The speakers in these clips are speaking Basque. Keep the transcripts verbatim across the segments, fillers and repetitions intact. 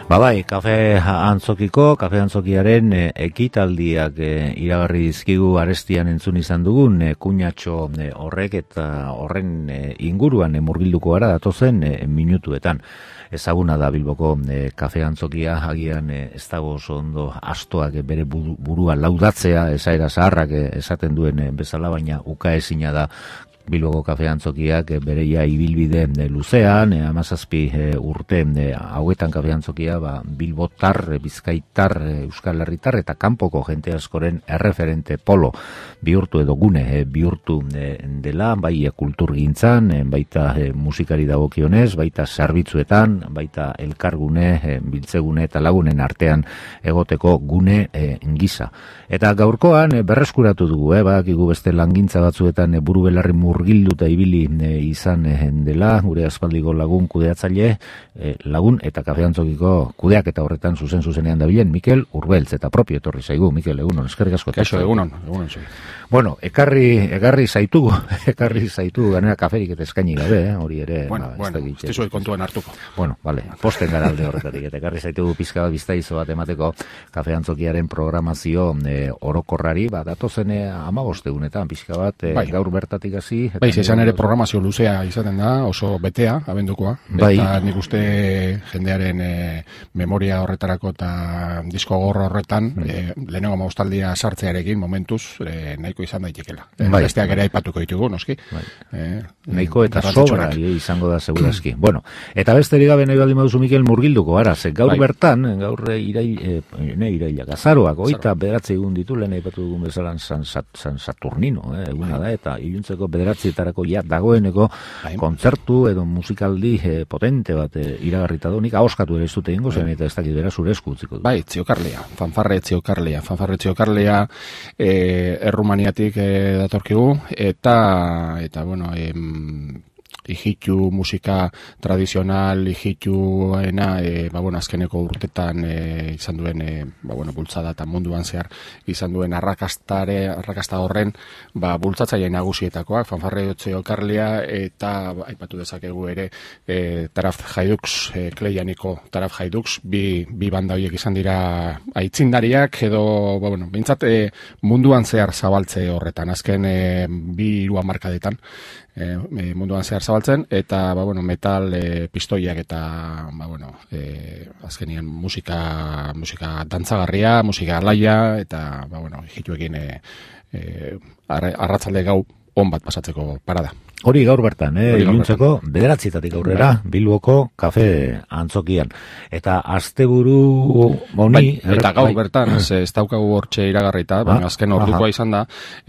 Ba bai, kafe antzokiko, kafe antzokiaren e, ekitaldiak e, iragarri dizkigu arestian entzun izan dugun e, kuñatxo e, horrek eta horren e, inguruan e, murgilduko gara datozen e, minutuetan. Ezaguna da Bilboko e, kafe antzokia, agian e, ez dago oso ondo astoak e, bere burua laudatzea, esaera zaharrak e, esaten duen e, bezala, baina ukaezina da Bilboko kafe antzokiak e, bereia ibilbide e, luzean, e, amazazpi e, urte e, hauetan kafe antzokia ba, Bilbotar, e, Bizkaitar, e, Euskal Herritar eta kanpoko jente askoren erreferente polo bihurtu edo gune e, bihurtu e, dela, bai e, kulturgintzan, e, baita e, musikari dagokionez, baita zerbitzuetan, baita elkargune, e, biltzegune eta lagunen artean egoteko gune e, gisa. Eta gaurkoan e, berreskuratu dugu, e, badakigu beste langintza batzuetan e, buru belarri murgilduta ibili e, izan e, dela, gure aspaldiko lagun kudeatzaile, e, lagun eta kafe antzokiko kudeak eta horretan zuzen zuzenean dabilen Mikel Urbeltz eta propio etorri zaigu. Mikel, egunon, eskerrik asko. Kaixo, egunon, egunon zui. Bueno, ekarri, ekarri zaitugu, ekarri zaitugu, ganera kaferik eta eskaini gabe, eh? Hori ere. Bueno, ba, bueno, ez dizuet kontuan hartuko. Bueno, vale, posten gara alde horretatik, eta ekarri zaitugu pizka bat biztaizo bat emateko kafe antzokiaren programazio e, orokorrari, ba, datozen amabostegunetan pizka bat, e, bai. Gaur bertatik hasi. Bai, izan ere programazio luzea izaten da, oso betea, abendukoa, bai. Eta nik uste jendearen e, memoria horretarako eta disko gorro horretan, mm. e, lehenengo maustaldia sartzearekin momentuz, e, nahiko izan daitekela. Bai, besteak ere aipatuko ditugu, noski. Bai. Eh, nahiko eta sobra e, izango da segurazki. Bueno, eta besterik gabe nahi baldin baduzu Mikel murgilduko gara, ze gaur bai. Bertan, gaur irail, e, ne irailak, azaroak, oita bederatzi egun ditu, lehen aipatu dugun bezalan San, San Saturnino, eh, eguna bai. Da, eta iluntzeko bederatzietarako ja dagoeneko bai. Kontzertu edo musikaldi e, potente bat e, iragarrita du, nik ahoskatu ere ez dute ingo, zen eta ez dakit bera zure esku utziko. Bai, Ziokarlea, fanfarre Ziokarlea, fanfarre Ziokarlea, e, Errumaniatik e, datorkigu, eta, eta bueno, em, ijitu musika tradizional, ijituena, e, ba, bueno, azkeneko urtetan e, izan duen, e, ba, bueno, bultzada eta munduan zehar izan duen arrakastare, arrakasta horren, ba, bultzatzaile nagusietakoak, fanfarre Ziokarlea, eta ba, aipatu dezakegu ere, e, Taraf Haidux, e, Kleianiko Taraf Haidux, bi, bi banda horiek izan dira aitzindariak, edo, ba, bueno, bintzat, e, munduan zehar zabaltze horretan, azken e, bi hiru hamarkadetan, E, munduan zehar zabaltzen, eta ba, bueno, metal e, pistoiak eta ba, bueno, e, azkenien musika, musika dantzagarria, musika alaia, eta ba, bueno, hituekin e, e, arratzalde gau on bat pasatzeko parada. Hori gaur bertan, eh, iluntzeko bederatzietatik aurrera, bai. Bilboko kafe antzokian. Eta asteburu honi... Bai, eta gaur bai. Bertan, ez, ez daukagu hortxe iragarrita, baina ah, azken ordukoa izan da,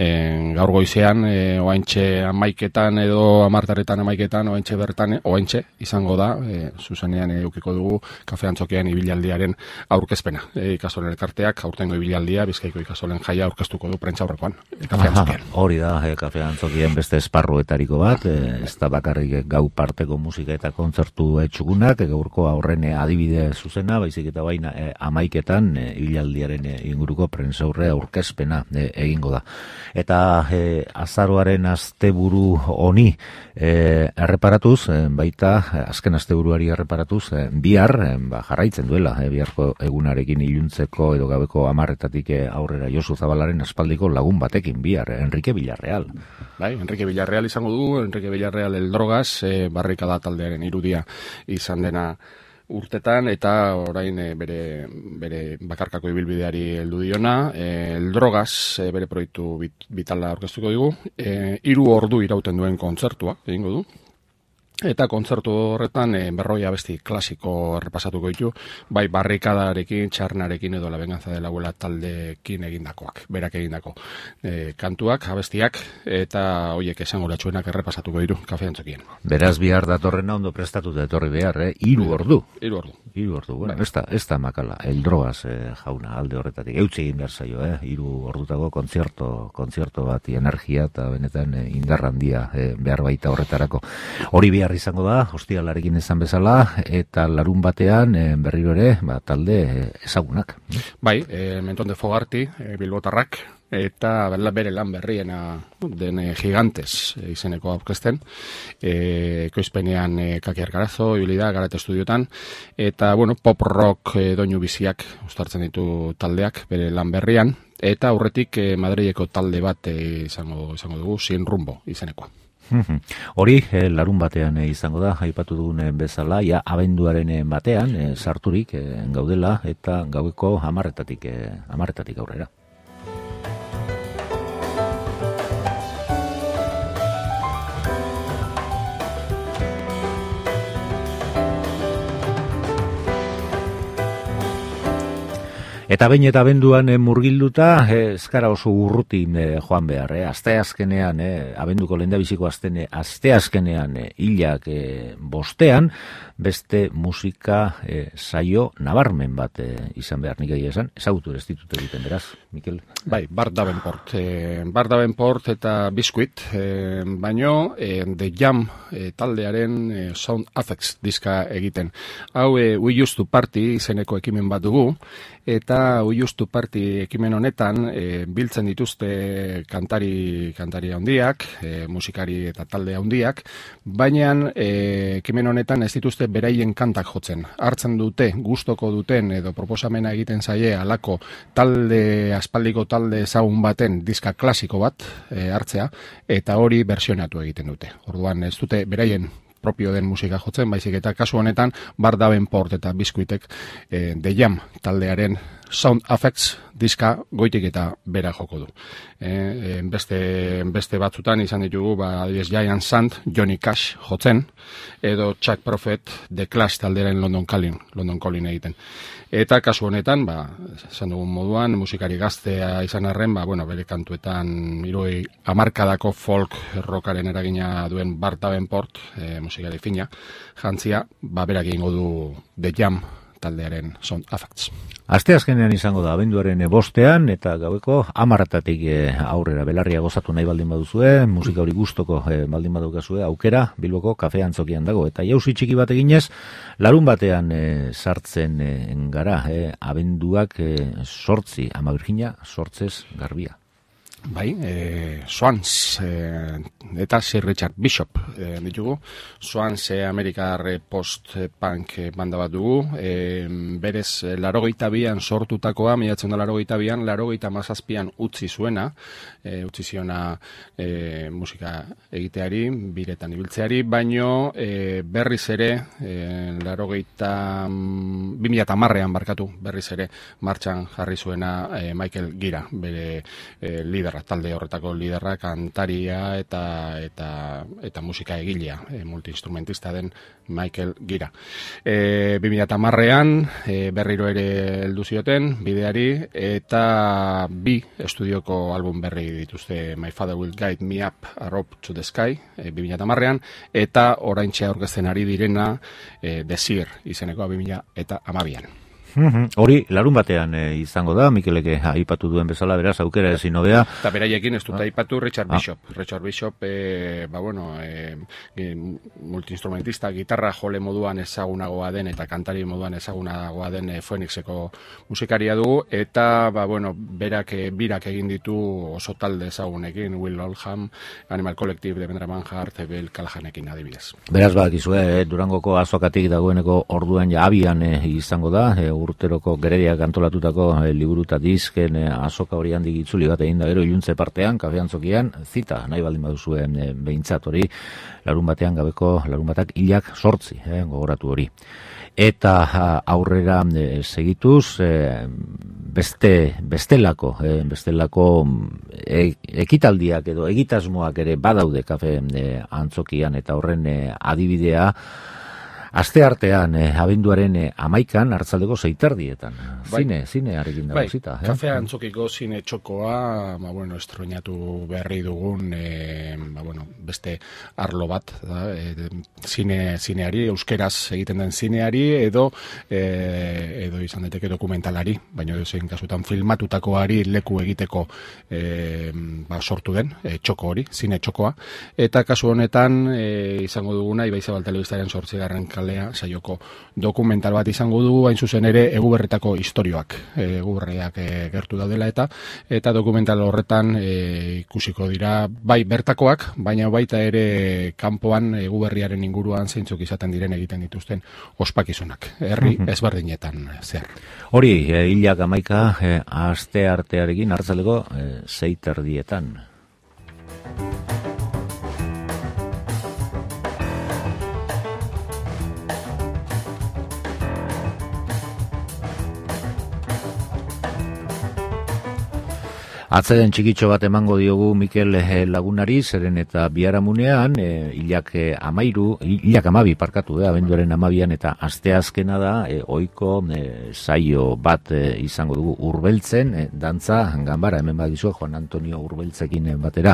en, gaur goizean, e, oaintxe amaiketan edo amartaretan amaiketan, oaintxe bertan, oaintxe izango da, e, zuzenean eukiko dugu kafe antzokian ibilaldiaren aurkezpena. E, ikasolen elkarteak, aurtengo ibilaldia, Bizkaiko ikasolen jaia aurkeztuko du prentza aurrekoan, e, kafe antzokian. Hori da, e, kafe antzokien beste esparruetariko bat, ez da bakarrik gau parteko musika eta kontzertu etxugunak, gaurko aurren adibide zuzena, baizik eta baina e, amaiketan e, ilaldiaren e, inguruko prentzaurre aurkezpena e, egingo da. Eta e, azaroaren asteburu honi e, erreparatuz, e, baita azken asteburuari erreparatuz, e, bihar e, ba, jarraitzen duela, e, biharko egunarekin iluntzeko edo gabeko amarretatik e, aurrera Josu Zabalaren aspaldiko lagun batekin bihar, Enrique Villarreal. Bai, Enrique Villarreal izango du, Enrique Villarreal el Drogas, e, barrikada taldearen irudia izan dena urtetan, eta orain e, bere, bere bakarkako ibilbideari heldu diona, e, el Drogas e, bere proiektu bit, bitala aurkeztuko digu, e, hiru ordu irauten duen kontzertua egingo du. Eta kontzertu horretan e, berroi abesti klasiko errepasatuko ditu, bai barrikadarekin, txarnarekin edo La Venganza de la Abuela taldekin egindakoak, berak egindako e, kantuak, abestiak, eta hoiek esango latxuenak errepasatuko ditu kafe antzokien. Beraz bihar datorrena ondo prestatuta etorri behar, eh? Hiru ordu. Hiru ordu. Hiru ordu, bueno, bai. ez, da, ez da makala, el Drogas eh, jauna alde horretatik, eutxe egin behar zaio, eh? Hiru ordutako kontzerto, kontzerto bat, energia eta benetan eh, indarrandia eh, behar baita horretarako. Hori bihar behar izango da, ostialarekin esan bezala, eta larun batean e, berriro ere ba, talde e, ezagunak. Bai, e, Menton de Fogarty, e, bilbotarrak, eta bere lan berriena den e, Gigantes e, izeneko aurkezten, e, ekoizpenean e, Kaki Argarazo, ibilida, Garate Estudiotan, eta, bueno, pop rock e, doinu biziak uztartzen ditu taldeak bere lan berrian, eta aurretik e, Madrileko talde bat e, izango, izango dugu, Sin Rumbo izenekoa. Hori, eh, larun batean eh, izango da, aipatu dugun eh, bezala, ja, abenduaren eh, batean, eh, sarturik eh, gaudela, eta gaueko hamarretatik, eh, hamarretatik aurrera. Eta behin eta abenduan e, murgilduta, ez gara oso urruti e, joan behar. E, azte azkenean, e, abenduko lehendabiziko aztene, azte azkenean e, hilak e, bostean, beste musika e, saio nabarmen bat e, izan behar nik egia esan. Ezagutu ez ditut egiten, beraz, Mikel? Bai, Bart Davenport. E, Bart Davenport eta Biscuit, e, baino e, The Jam e, taldearen e, Sound Affects diska egiten. Hau, e, We Used to Party izeneko ekimen bat dugu, eta We Used to Party ekimen honetan e, biltzen dituzte kantari kantari handiak, e, musikari eta talde handiak, baina e, ekimen honetan ez dituzte beraien kantak jotzen. Hartzen dute, gustoko duten edo proposamena egiten zaie alako talde, aspaldiko talde ezagun baten diska klasiko bat e, hartzea, eta hori versionatu egiten dute. Orduan ez dute beraien propio den musika jotzen, baizik eta kasu honetan Bart Davenport eta Biscuitek e, The Jam taldearen Sound Affects diska goitik eta bera joko du. E, beste, beste batzutan izan ditugu, ba, adibidez Giant Sand, Johnny Cash jotzen, edo Chuck Prophet, The Clash taldearen London Calling, London Calling egiten. Eta kasu honetan, ba, esan dugun moduan, musikari gaztea izan arren, ba, bueno, bere kantuetan hirurogei hamarkadako folk rockaren eragina duen Bart Davenport, e, musikari fina, jantzia, ba, berak egingo du The Jam taldearen Sound Affects. Aste azkenean izango da, abenduaren bostean, eta gaueko hamarretatik aurrera belarria gozatu nahi baldin baduzue, musika hori gustoko e, baldin badukazue, aukera, Bilboko kafe antzokian dago. Eta jauzi txiki bat eginez, larun batean e, sartzen e, gara, e, abenduak e, sortzi, Ama Virginia, sortzez garbia. Bai, e, Swans e, eta Sir Richard Bishop e, ditugu. Swans e, Amerikar post-punk banda bat dugu. E, berez, larogeita bian sortutakoa, milatzen da larogeita bian, larogeita mazazpian utzi zuena, e, utzi ziona e, musika egiteari, biretan ibiltzeari, baino e, berriz ere, e, larogeita, bi mila hamarrean barkatu, berriz ere, martxan jarri zuena e, Michael Gira, bere e, liderra, talde horretako liderra, kantaria eta eta eta musika egilea, e, multiinstrumentista den Michael Gira. E, bi mila hamarrean e, berriro ere heldu zioten bideari, eta bi estudioko album berri dituzte, My Father Will Guide Me Up a Rope to the Sky, e, bi mila hamarrean, eta oraintxe aurkezten ari direna e, Desir izeneko bi mila hamabian. Hori, larun batean e, izango da, Mikeleke aipatu duen bezala, beraz, aukera ezin hobea. Eta beraiekin ez dut ah. aipatu Richard ah. Bishop. Richard Bishop, e, ba bueno, e, multiinstrumentista, gitarra jole moduan ezagunagoa den, eta kantari moduan ezagunagoa den e, Phoenixeko musikaria dugu, eta, ba bueno, berak e, birak egin ditu oso talde ezagunekin, Will Oldham, Animal Collective, Devendra Banhart, Bill Callahanekin adibidez. Beraz, bakizue, eh, Durangoko azokatik dagoeneko orduan ja abian eh, izango da, eh, urteroko gerediak antolatutako e, liburu eta disken e, azoka hori handik itzuli bat egin da gero iluntze partean, kafe antzokian, zita nahi baldin baduzuen e, behintzat hori, larun batean gabeko, larun batak hilak sortzi, e, gogoratu hori. Eta aurrera e, segituz, e, beste, bestelako, e, bestelako e, ekitaldiak edo egitasmoak ere badaude kafe e, antzokian, eta horren e, adibidea, Aste artean, eh, abenduaren eh, amaikan, hartzaldeko zeiterdietan. Bai. Zine, zine harrekin dago Bai, zita. kafea antzokiko zine txokoa, ba, bueno, estroinatu berri dugun, e, ba, bueno, beste arlo bat, da, e, zine, zineari, euskeraz egiten den zineari, edo, e, edo izan daiteke dokumentalari, baina edo zein kasutan filmatutakoari leku egiteko e, ba, sortu den, e, txoko hori, zine txokoa, eta kasu honetan, e, izango duguna, Ibai Zabal Telebistaren zortzigarren kalea saioko dokumental bat izango dugu, hain zuzen ere Eguberretako istorioak, Eguberriak e, gertu daudela eta eta dokumental horretan e, ikusiko dira bai bertakoak, baina baita ere kanpoan Eguberriaren inguruan zeintzuk izaten diren egiten dituzten ospakizunak, herri ezberdinetan zer. Hori, e, hilak amaika e, aste artearekin hartzaleko e, zeiterdietan. Atzeden txikitxo bat emango diogu Mikel Lagunari, zeren eta biharamunean, e, hilak amairu, hilak amabi parkatu da, abenduaren amabian, eta asteazkena da, e, oiko e, saio bat e, izango dugu Urbeltzen, e, dantza, ganbara, hemen badizu, Juan Antonio Urbeltzekin batera,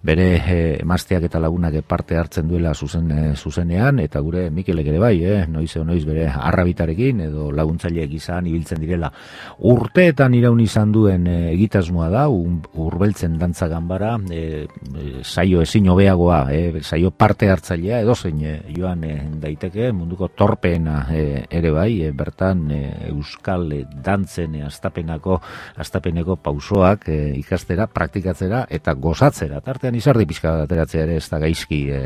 bere e, emazteak eta lagunak parte hartzen duela zuzen, e, zuzenean, eta gure Mikelek ere bai, e, noiz edo noiz bere arrabitarekin, edo laguntzaileek izan ibiltzen direla. Urteetan iraun izan duen e, egitasmoa da, Urbeltzen dantza ganbara, e, e, saio ezin hobeagoa, e, saio parte hartzailea, edozein e, joan e, daiteke, munduko torpeena e, ere bai, e, bertan e, euskal e, dantzen e, astapenako, astapeneko pausoak e, ikastera, praktikatzera eta gozatzera. Tartean izardi pixka ateratzea ere ez da gaizki e,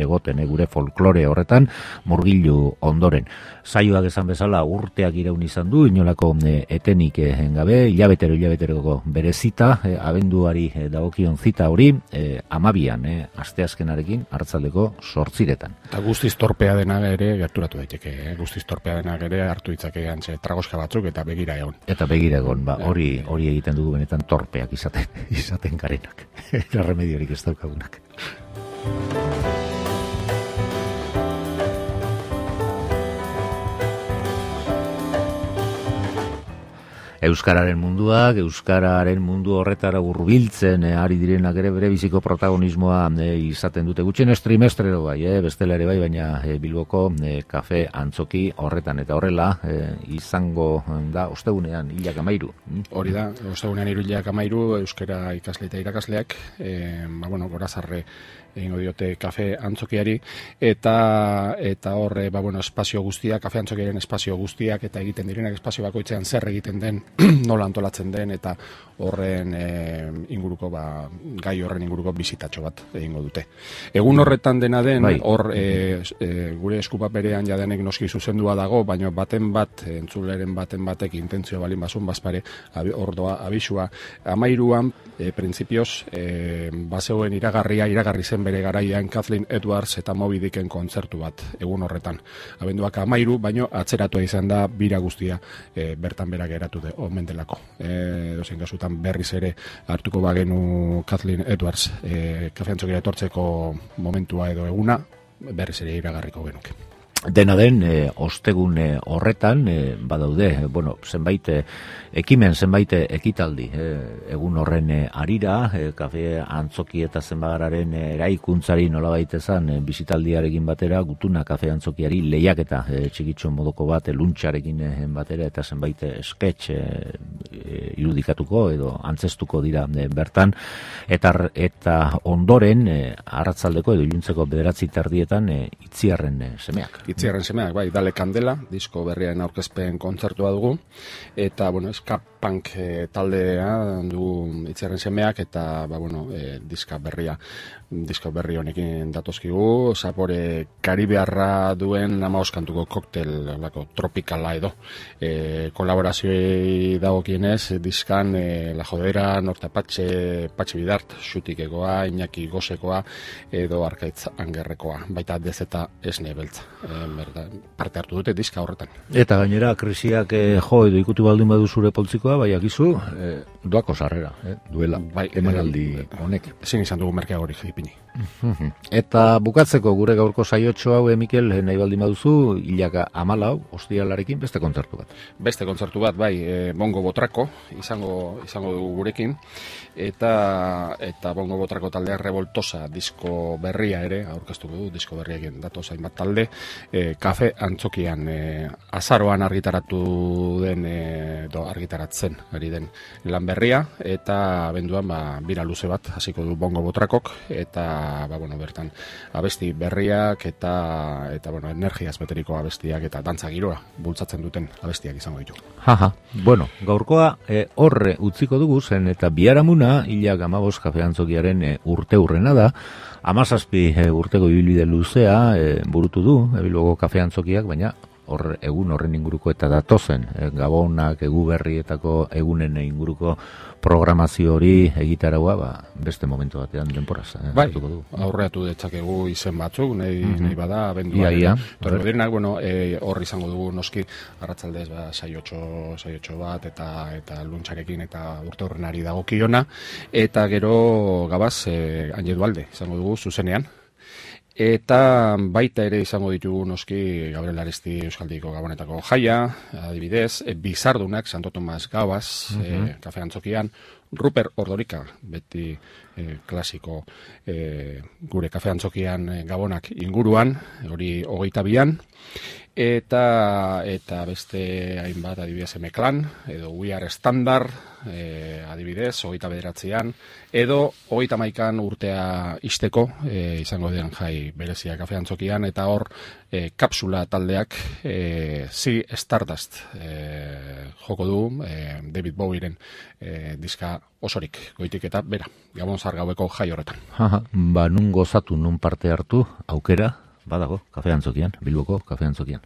egoten e, gure folklore horretan murgilu ondoren. Saioak esan bezala urteak iraun izan du, inolako e, etenik e, gabe, hilabetero hilabeteroko berezita, e, abenduari e, dagokion zita hori, e, amabian, e, asteazkenarekin hartzaldeko sortziretan. Eta guztiz torpea dena ere gerturatu daiteke, eh? Guztiz torpea dena ere hartu ditzake antxe tragoska batzuk eta begira egon. Eta begira egon, ba, hori hori egiten dugu benetan torpeak izaten, izaten garenak. Eta remediorik ez daukagunak. Euskararen munduak, Euskararen mundu horretara hurbiltzen e, ari direnak ere bere biziko protagonismoa e, izaten dute. Gutxien estrimestrero bai, e, bestela ere bai, baina e, Bilboko e, kafe antzoki horretan eta horrela e, izango da ostegunean hilak amairu. Hori da, ostegunean hiru hilak amairu euskara ikasle eta irakasleak, e, ba, bueno, gorazarre egingo diote kafe antzokiari, eta eta horre, ba, bueno, espazio guztiak, kafe antzokiaren espazio guztiak, eta egiten direnak espazio bakoitzean zer egiten den, nola antolatzen den, eta horren e, inguruko, ba, gai horren inguruko bizitatxo bat egingo dute. Egun horretan dena den, bai. Hor e, e, gure eskupaperean jadenek noski zuzendua dago, baina baten bat, entzuleren baten batek intentzio balin basun bazpare, hor doa abisua, amairuan, e, printzipioz, e, bazeuen iragarria, iragarri zen bere garaian Kathleen Edwards eta Moby Dicken kontzertu bat egun horretan. Abenduak amairu, baino atzeratua izan da bira guztia e, bertan berak eratu de, omen delako. E, dozen kasutan berriz ere hartuko bagenu Kathleen Edwards e, kafe antzokira etortzeko momentua edo eguna, berriz ere iragarriko genuke. Dena den, e, ostegun e, horretan, e, badaude, e, bueno, zenbait e, ekimen, zenbait ekitaldi, e, egun horren e, arira, e, kafe antzoki eta zenbagararen e, eraikuntzari nolabait ezan, e, bizitaldiarekin batera, gutuna kafe antzokiari lehiaketa e, txikitxo modoko bat, e, luntxarekin e, batera, eta zenbait e, sketch e, e, irudikatuko edo antzestuko dira e, bertan, eta, eta ondoren, e, arratzaldeko edo iluntzeko bederatzi tardietan, e, itziarren e, semeak. Itziarren semeak, bai, Dale Kandela, disko berriaren aurkezpen kontzertua dugu, eta, bueno, ska punk e, taldea du Itziarren semeak, eta, ba, bueno, e, diska berria, diska berri honekin datozkigu, zapore karibearra duen hamaoskantuko koktel, lako, tropikala edo, e, kolaborazioei dagokienez, diskan, e, La Jodera, Norte Patxe, Patxe Bidart, Xutikekoa, Iñaki Gosekoa, edo Arkaitz Angerrekoa, baita dezeta esne beltza. Berda, parte hartu dute diska horretan. Eta gainera, krisiak eh, jo edo ikutu baldin badu zure poltsikoa, diskoa, bai akizu, eh, doako sarrera, eh, duela, bai, emanaldi honek. Ezin izan dugu merkeagorik ipini. Eta bukatzeko gure gaurko saiotxo hau, eh, Mikel, nahi baldin baduzu, hilaka amalau, ostialarekin beste kontzertu bat. Beste kontzertu bat, bai, e, Bongo Botrako izango izango dugu gurekin, eta eta Bongo Botrako taldea Revoltosa disko berria ere aurkeztuko du, disko berriekin datoz hainbat talde, e, Kafe Antzokian e, azaroan argitaratu den, e, do, argitaratzen ari den lan berria, eta abenduan ba, bira luze bat hasiko du Bongo Botrakok, eta ba, bueno, bertan abesti berriak eta eta bueno, energiaz beteriko abestiak eta dantza giroa bultzatzen duten abestiak izango ditu. Jaja, bueno, gaurkoa e, horre utziko dugu zen, eta biharamuna hilak amabos Kafe Antzokiaren e, urte hurrena da, amazazpi e, urteko ibilbide luzea e, burutu du, ebilbogo Kafe Antzokiak, baina hor egun horren inguruko eta datozen, e, gabonak, egu berrietako egunen inguruko programazio hori egitaragoa, ba, beste momentu batean denporaz. Eh, bai, aurreatu detzakegu izen batzuk, nahi, mm -hmm. nahi bada, abenduan. Ia, ia. Torrenak, bueno, e, hor izango dugu noski, arratzaldez, ba, saiotxo, saiotxo bat, eta eta luntxarekin, eta urte horrenari dagokiona, eta gero gabaz, e, Añedu Alde, izango dugu, zuzenean. Eta baita ere izango ditugu noski Gabriel Aresti Euskaldiko Gabonetako jaia, adibidez, e, Bizardunak, Santo Tomas Gabaz, mm -hmm. e, Kafe Antzokian, Ruper Ordorika, beti e, klasiko e, gure Kafe Antzokian e, Gabonak inguruan, hori hogeita bian, eta eta beste hainbat adibidez Emeklan, edo We Are Standard, e, adibidez, hogeita bederatzean, edo hogeita maikan urtea isteko, e, izango den jai berezia Kafe Antzokian, eta hor e, kapsula taldeak e, Sea Stardust e, joko du, e, David Bowieren e, diska osorik, goitik eta bera, Gabon Zahar gaueko jai horretan. Aha, ba, nun gozatu, nun parte hartu, aukera, badago, Kafe Antzokian, Bilboko Kafe Antzokian.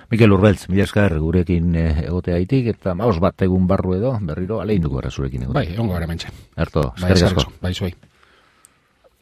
Mikel Urbeltz, mila esker gurekin egoteaitik, eta maos bat egun barru edo, berriro aleinduko gara zurekin egote. Bai, ongo gara mentxe. Erto, eskerrik asko. Bai, zuei.